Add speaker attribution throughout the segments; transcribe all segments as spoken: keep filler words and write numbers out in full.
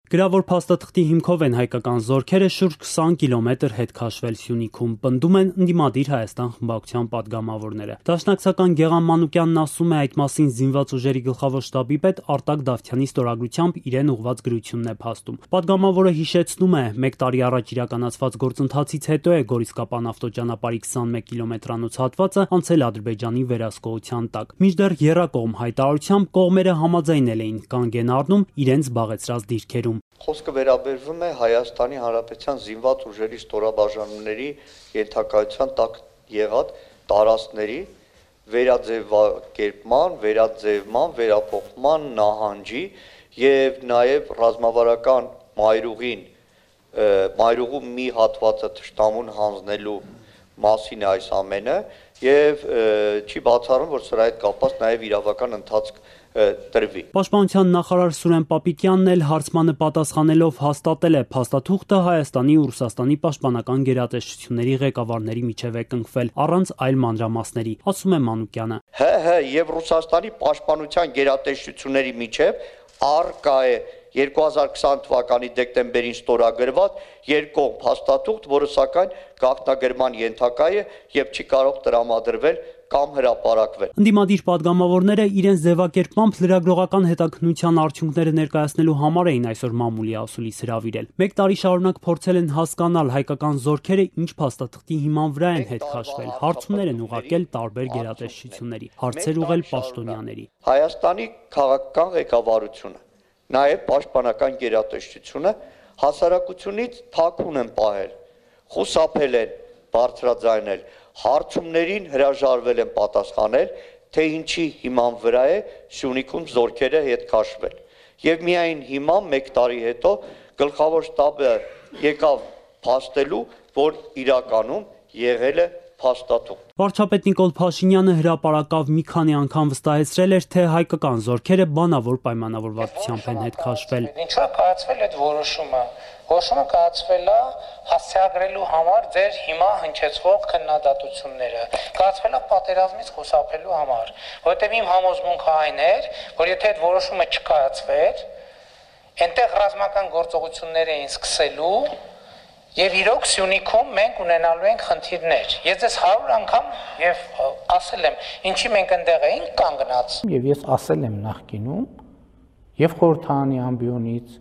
Speaker 1: Գրավոր փաստաթղթի հիմքով են հայկական զորքերը շուրջ քսան կիլոմետր հետ քաշվել Սյունիքում, պնդում են ընդդիմադիր Հայաստան խմբակցության падգամավորները։ Դաշնակցական Գեղամ Մանուկյանն ասում է, այդ մասին զինված ուժերի գլխավոր շտաբի պետ Արտակ Դավթյանի ստորագրությամբ իրեն ուղղված գրությունն է փաստում։ Падգամավորը հիշեցնում է, մեկ տարի առաջ իրականացված գործընթացից հետո է Գորիսկապան ավտոճանապարհի քսանմեկ կիլոմետրանոց հատվածը անցել Ադրբեջանի վերահսկողության տակ։ Մինչդեռ եռակողմ հայտարարությամբ կողմերը համաձայնել էին կանգ են առնում իրենց զբաղեցրած դիրքերում։
Speaker 2: Խոսքը վերաբերվում է Հայաստանի Հանրապետության զինված ուժերի ստորաբաժանումների ենթակայության տակ եղած տարածքների վերաձևակերպման, վերաձևման, վերափոխման նահանջի եւ նաեւ ռազմավարական մայրուղին մայրուղու մի հատվածը թշնամուն հանձնելու մասին է այս ամենը եւ չի բացառում, որ սրա հետ կապված նաեւ իրավական ընթացք տրվի։
Speaker 1: Պաշտպանության նախարար Սուրեն Պապիկյանն էլ հարցմանը պատասխանելով հաստատել է, փաստաթուղթը Հայաստանի ու Ռուսաստանի պաշտպանական գերատեսչությունների ղեկավարների միջև է կնքվել առանց այլ մանրամասների, ասում է Մանուկյանը։
Speaker 2: ՀՀ եւ Ռուսաստանի պաշտպանության գերատեսչությունների միջև առկա է երկու հազար քսան թվականի դեկտեմբերին ստորագրված երկկողմ փաստաթուղթ, որը սակայն գաղտնագրման ենթակա է եւ չի կարող տրամադրվել կամ հրապարակվել։
Speaker 1: Ընդդիմադիր падգամավորները իրենց ձևակերպմամբ լրագրողական հետաքննության արդյունքները ներկայացնելու համար էին այսօր մամուլի ասուլիս հրավիրել։ Մեկ տարի շարունակ փորձել են հասկանալ հայկական զորքերը ինչ փաստաթղթի հիման վրա են հետ քաշվել, հարցումներ են ուղարկել տարբեր գերատեսչությունների, հարցեր ուղղել պաշտոնյաների։
Speaker 2: Հայաստանի քաղաքական ղեկավարությունը, նաեւ պաշտպանական գերատեսչությունը հասարակությունից թաքուն են պահել, խուսափել են բարձրաձայնել, հարցումներին հրաժարվել են պատասխանել, թե ինչի հիման վրա է Սյունիքում զորքերը հետ քաշվել։ Եվ միայն հիմա մեկ տարի հետո գլխավոր շտաբը եկավ փաստելու, որ իրականում եղել է փաստաթուղթ։
Speaker 1: Վարչապետ Նիկոլ Փաշինյանը հրապարակավ մի քանի անգամ վստահեցրել էր, թե հայկական զորքերը բանավոր պայմանավորվածությամբ են հետ քաշվել։
Speaker 3: Ինչու է կայացվել այդ որոշումը։ Որոշումը կայացվել է հասցեագրելու համար ձեր հիմա հնչեցվող քննադատությունները, կայացվել է պատերազմից խուսափելու համար, որովհետև իմ համոզմունքը այն էր, որ եթե այդ որոշումը չկայացվեր, այնտեղ ռազմական գործողություններ էին սկսելու եւ իրոք Սյունիքում մենք ունենալու ենք խնդիրներ։ Ես ձեզ հարյուր անգամ եւ ասել եմ, ինչի մենք այնտեղ էինք կանգնած։
Speaker 4: Եվ ես ասել եմ նախկինում եւ խորհրդարանի ամբիոնից,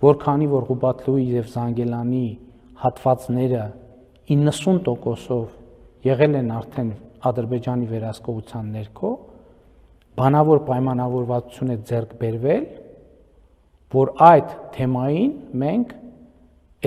Speaker 4: որքանի որ Ղուբատլուի եւ Զանգելանի հատվածները իննսուն տոկոսով եղել են արդեն Ադրբեջանի վերահսկողության ներքո, բանավոր պայմանավորվածություն է ձեռք բերվել, որ այդ թեմային մենք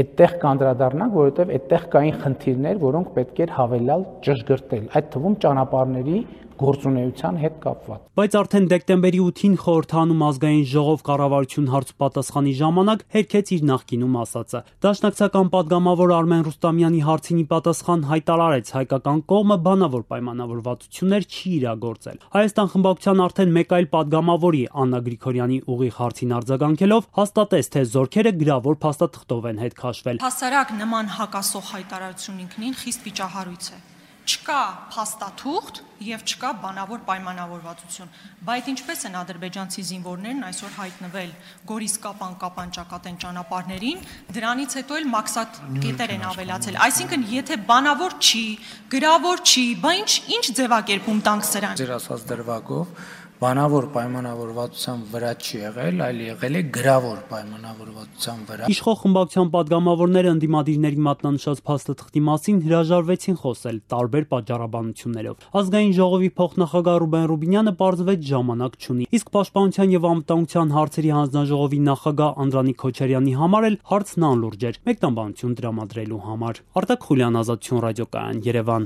Speaker 4: այդտեղ կանդրադառնանք, որովհետև այդտեղ կային խնդիրներ, որոնք պետք էր հավելյալ ճշգրտել, այդ թվում ճանապարհների գործունեության հետ կապված։
Speaker 1: Բայց արդեն դեկտեմբերի ութին խորհրդանում ազգային ժողով կառավարություն հարցուպատասխանի ժամանակ հերքեց իր նախկինում ասածը։ Դաշնակցական падգամավոր Արմեն Ռուստամյանի հարցին ի պատասխան հայտարարեց, հայկական կողմը բանավոր պայմանավորվածություններ չի իրագործել։ Հայաստան խմբակցության արդեն մեկ այլ падգամավորի Աննա Գրիգորյանի ուղիղ հարցին արձագանքելով հաստատեց, թե զորքերը գրավոր փաստաթղթով են հետ քաշվել։
Speaker 5: Հասարակ նման հակասող հայտարարություն ինքնին խիստ վիճահարույց է։ Չկա փաստաթուղթ եւ չկա բանավոր պայմանավորվածություն, բայց ինչպես են ադրբեջանցի զինվորներն այսօր հայտնվել Գորիսկապան Կապան ճակատեն ճանապարհներին, դրանից հետո էլ մաքսատ կետեր են ավելացել։ Այսինքն, եթե բանավոր չի, գրավոր չի, բա ինչ ինչ ձևակերպում տանք սրան։
Speaker 4: Ձեր ասած դրվագով բանավոր պայմանավորվածության վրա չի եղել, այլ եղել է գրավոր պայմանավորվածության վրա։
Speaker 1: Իշխող խմբակցության падգամավորները ընդդիմադիրների մատնանշած փաստաթղթի մասին հրաժարվեցին խոսել տարբեր պատճառաբանություններով։ Ազգային ժողովի փոխնախագահ Ռուբեն Ռուբինյանը պարզվեց ժամանակ չունի, իսկ Պաշտպանության եւ անվտանգության հարցերի հանձնաժողովի նախագահ Անդրանիկ Քոչարյանի համար էլ հարցն անլուրջ էր մեկնաբանություն տրամադրելու համար։ Արտակ Խուլյան, Ազատություն ռադիոկայան, Երևան։